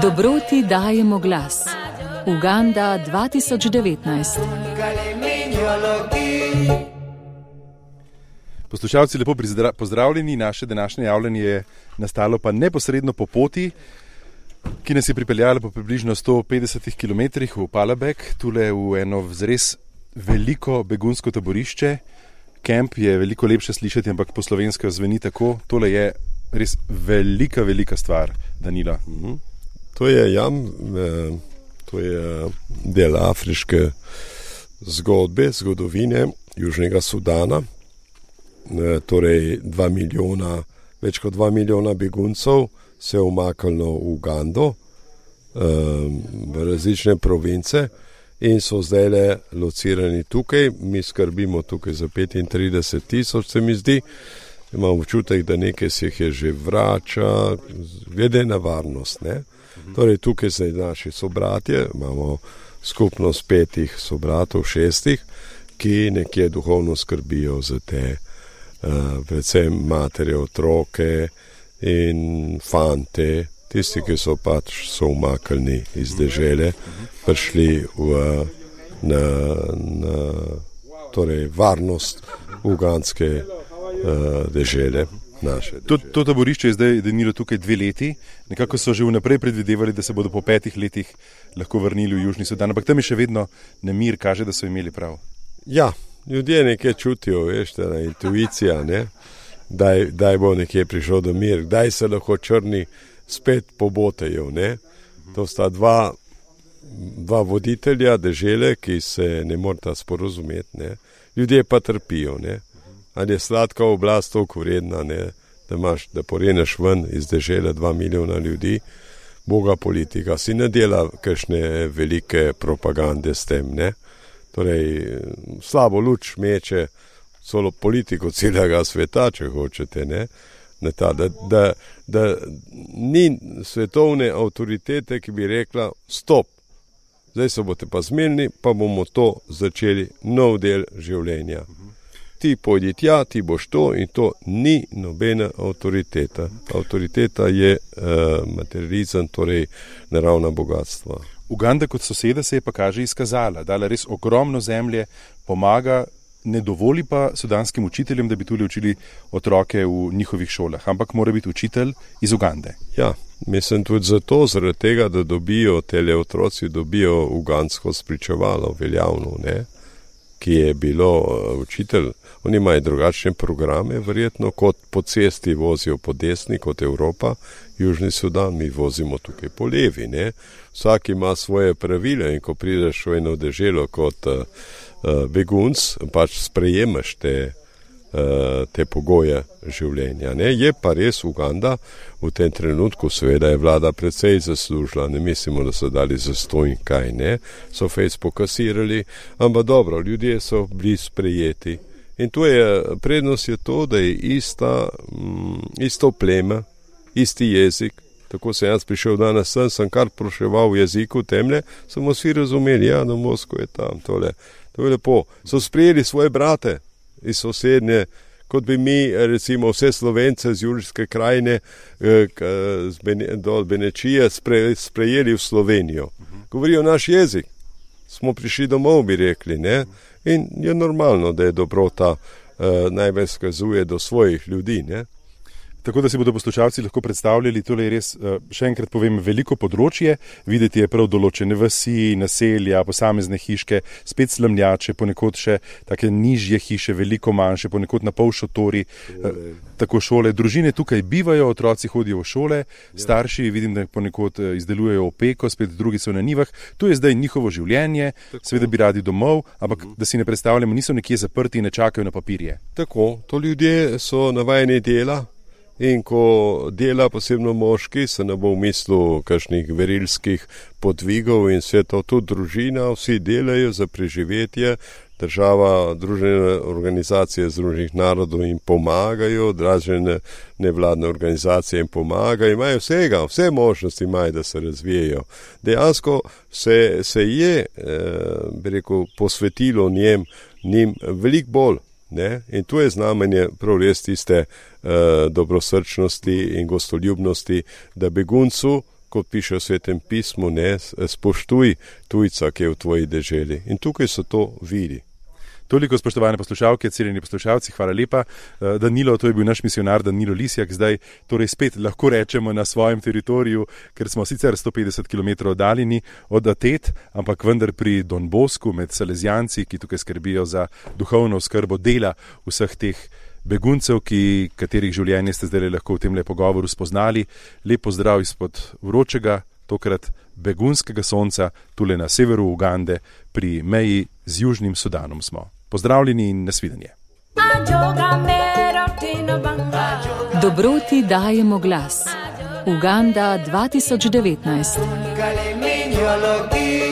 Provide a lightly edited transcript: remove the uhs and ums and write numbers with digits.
Dobroti dajemo glas. Uganda 2019. Poslušalci, lepo pozdravljeni. Naše današnje javljanje je nastalo pa neposredno po poti, ki nas je pripeljala po približno 150 km v Palabek, tule v eno res veliko begunsko taborišče. Kemp je veliko lepše slišati, ampak po slovensko zveni tako. Tole je res velika stvar, Danilo. To je to je del afriške zgodovine Južnega Sudana. Torej več kot 2 milijona beguncev se je umaknilo v Ugando, v različne province in so zdaj locirani tukaj. Mi skrbimo tukaj za 35 tisoč, se mi zdi. Imam občutek, da nekaj se jih je že vrača, glede na varnost, ne? Torej tukaj zdaj naši sobratje, imamo skupnost 5 sobratov, 6, ki nekje duhovno skrbijo za te predvsem matere, otroke in fante, tisti, ki so so umaknili iz dežele, prišli na torej varnost ugandske dežele. To taborišče je zdaj denilo tukaj 2 leti. Nekako so že vnaprej predvidevali, da se bodo po 5 letih lahko vrnili v Južni Sudan, ampak tam je še vedno nemir, kaže, da so imeli prav. Ja, ljudje nekaj čutijo, veš, ta intuicija, ne? Daj bo nekje prišel do mir, kdaj se lahko črni spet pobotajo, ne? To sta dva voditelja dežele, ki se ne morata sporozumeti, ne? Ljudje pa trpijo, ne? Ali je sladka oblast toliko vredna, ne? Da poreneš ven iz dežele 2 milijona ljudi, boga politika si ne dela kakšne velike propagande s tem, ne? Torej, slabo luč meče celo politiko celega sveta, če hočete, ne? Da ni svetovne avtoritete, ki bi rekla, stop, zdaj se boste pa zmenili, pa bomo to začeli nov del življenja. Ti pojdi tja, ti boš to in to ni nobena avtoriteta. Avtoriteta je materializem, torej naravna bogatstva. Uganda kot soseda se je pa kaže izkazala, dala res ogromno zemlje, pomaga, ne dovoli pa sudanskim učiteljem, da bi tule učili otroke v njihovih šolah, ampak mora biti učitelj iz Ugande. Ja, mislim tudi zaradi tega, da tele otroci dobijo ugandsko spričevalo, veljavno, ne? Ki je bilo učitelj. Oni imajo drugačne programe, verjetno, kot po cesti vozijo po desni, kot Evropa, Južni Sudan, mi vozimo tukaj po levi, ne? Vsak ima svoje pravile in ko prideš v eno deželo kot begunc, pač sprejemaš te pogoje življenja, ne? Je pa res Uganda v tem trenutku, seveda je vlada precej zaslužila, ne mislimo, da so dali za 100 in kaj, ne? So fejs pokasirali, ampak dobro, ljudje so bili sprejeti. In prednost je to, da je isto pleme, isti jezik. Tako sem jaz prišel danes sem kar proševal v jeziku temle, samo vsi razumeli, ja, na Moskvo je tam, tole. To je lepo. So sprejeli svoje brate iz sosednje, kot bi mi, recimo, vse Slovence z Julijske krajine, dol Benečije, sprejeli v Slovenijo. Govorijo naš jezik. Smo prišli domov, bi rekli, ne? In je normalno, da je dobrota najbolj skazuje do svojih ljudi, ne? Tako da si bodo poslušalci lahko predstavljali, tole je res, še enkrat povem, veliko področje, videti je prav določene vasi, naselja, posamezne hiške, spet slamljače, ponekod še take nižje hiše, veliko manjše, ponekod na pol šotori, tako šole. Družine tukaj bivajo, otroci hodijo v šole, starši vidim, da ponekod izdelujejo opeko, spet drugi so na njivah. To je zdaj njihovo življenje, seveda bi radi domov, ampak da si ne predstavljamo, niso nekje zaprti in ne čakajo na papirje. Tako, to ljudje so navajeni dela. In ko dela, posebno moški, se ne bo v mislu kakšnih verilskih podvigov in vse to, tudi družina, vsi delajo za preživetje, država, družene organizacije Združenih narodov jim pomagajo, dražene nevladne organizacije jim pomagajo, imajo vse možnosti imajo, da se razvijajo. Dejansko se je, bi rekel, posvetilo njim veliko bolj. Ne? In tu je znamenje prav res tiste dobrosrčnosti in gostoljubnosti, da beguncu, kot piše v Svetem pismu, ne, spoštuj tujca, ki je v tvoji deželi. In tukaj so to vidi. Toliko, spoštovane poslušalke, cenjeni poslušalci, hvala lepa. Danilo, to je bil naš misionar Danilo Lisjak, zdaj torej spet lahko rečemo na svojem teritoriju, ker smo sicer 150 km oddaljeni od Atet, ampak vendar pri Don Bosku med Salezijanci, ki tukaj skrbijo za duhovno oskrbo dela vseh teh beguncev, katerih življenje ste zdaj lahko v tem pogovoru spoznali. Lep pozdrav izpod vročega, tokrat begunskega sonca, tule na severu Ugande, pri meji z Južnim Sudanom smo. Pozdravljeni in nasvidenje. Dobroti dajemo glas. Uganda 2019.